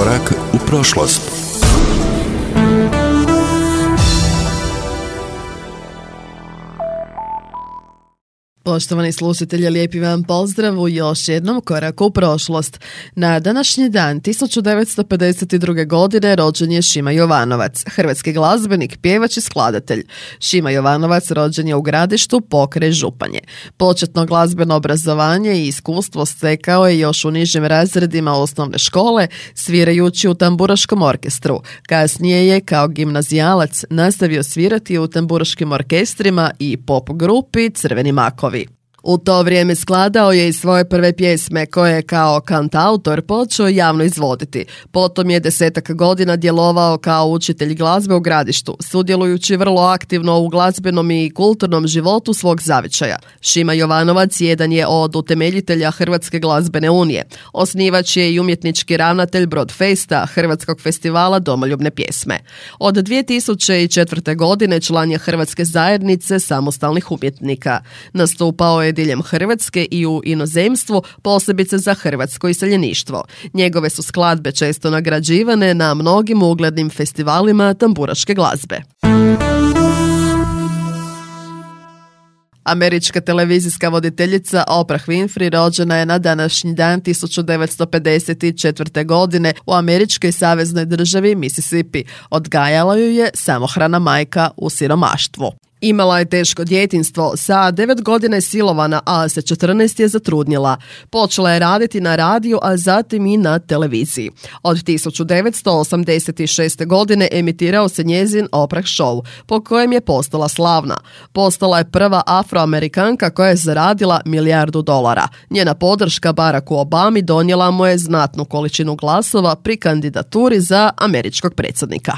Korak u prošlost. Poštovani slušatelji, lijepi vam pozdrav u još jednom koraku u prošlost. Na današnji dan 1952. godine rođen je Šima Jovanovac, hrvatski glazbenik, pjevač i skladatelj. Šima Jovanovac rođen je u Gradištu pokraj Županje. Početno glazbeno obrazovanje i iskustvo stekao je još u nižim razredima osnovne škole, svirajući u tamburaškom orkestru. Kasnije je kao gimnazijalac nastavio svirati u tamburaškim orkestrima i pop grupi Crveni makovi. U to vrijeme skladao je i svoje prve pjesme koje je kao kantautor počeo javno izvoditi. Potom je 10 godina djelovao kao učitelj glazbe u Gradištu, sudjelujući vrlo aktivno u glazbenom i kulturnom životu svog zavičaja. Šima Jovanovac jedan je od utemeljitelja Hrvatske glazbene unije. Osnivač je i umjetnički ravnatelj Broadfesta, Hrvatskog festivala domoljubne pjesme. Od 2004. godine član je Hrvatske zajednice samostalnih umjetnika. Nastupao je diljem Hrvatske i u inozemstvu, posebice za hrvatsko iseljeništvo. Njegove su skladbe često nagrađivane na mnogim uglednim festivalima tamburaške glazbe. Američka televizijska voditeljica Oprah Winfrey rođena je na današnji dan 1954. godine u američkoj saveznoj državi Mississippi. Odgajala ju je samohrana majka u siromaštvu. Imala je teško djetinjstvo, sa 9 godina je silovana, a sa 14 je zatrudnjela. Počela je raditi na radiju, a zatim i na televiziji. Od 1986. godine emitirao se njezin Oprah Show, po kojem je postala slavna. Postala je prva Afroamerikanka koja je zaradila $1 milijardu. Njena podrška Baracku Obami donijela mu je znatnu količinu glasova pri kandidaturi za američkog predsjednika.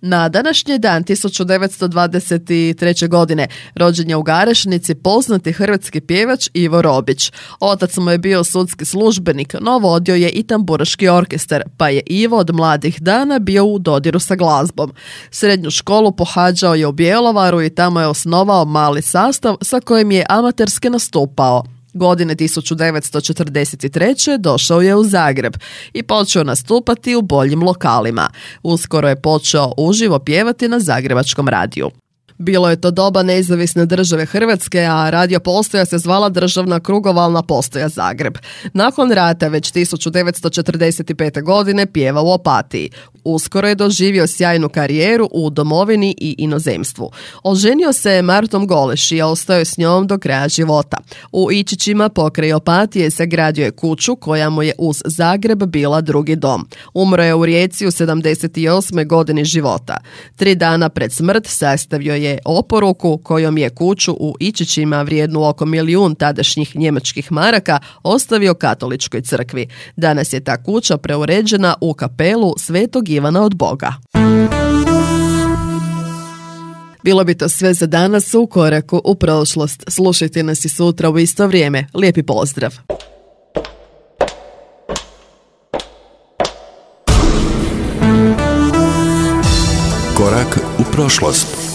Na današnji dan 1923. godine rođen je u Garešnici poznati hrvatski pjevač Ivo Robić. Otac mu je bio sudski službenik, no vodio je i tamburaški orkestar, pa je Ivo od mladih dana bio u dodiru sa glazbom. Srednju školu pohađao je u Bjelovaru i tamo je osnovao mali sastav sa kojim je amaterski nastupao. Godine 1943. došao je u Zagreb i počeo nastupati u boljim lokalima. Uskoro je počeo uživo pjevati na zagrebačkom radiju. Bilo je to doba nezavisne države Hrvatske, a radio postaja se zvala Državna krugovalna postaja Zagreb. Nakon rata već 1945. godine pjeva u Opatiji. Uskoro je doživio sjajnu karijeru u domovini i inozemstvu. Oženio se je Martom Goleš i ostao je s njom do kraja života. U Ičićima pokraj Opatije sagradio je kuću koja mu je uz Zagreb bila drugi dom. Umro je u Rijeci u 78. godini života. 3 dana pred smrt sastavio je oporuku kojom je kuću u Ičićima vrijednu oko 1 milijun tadašnjih njemačkih maraka ostavio katoličkoj crkvi. Danas je ta kuća preuređena u kapelu Svetog Ivana od Boga. Bilo bi to sve za danas u koraku u prošlost. Slušajte nas i sutra u isto vrijeme. Lijepi pozdrav! Korak u prošlost.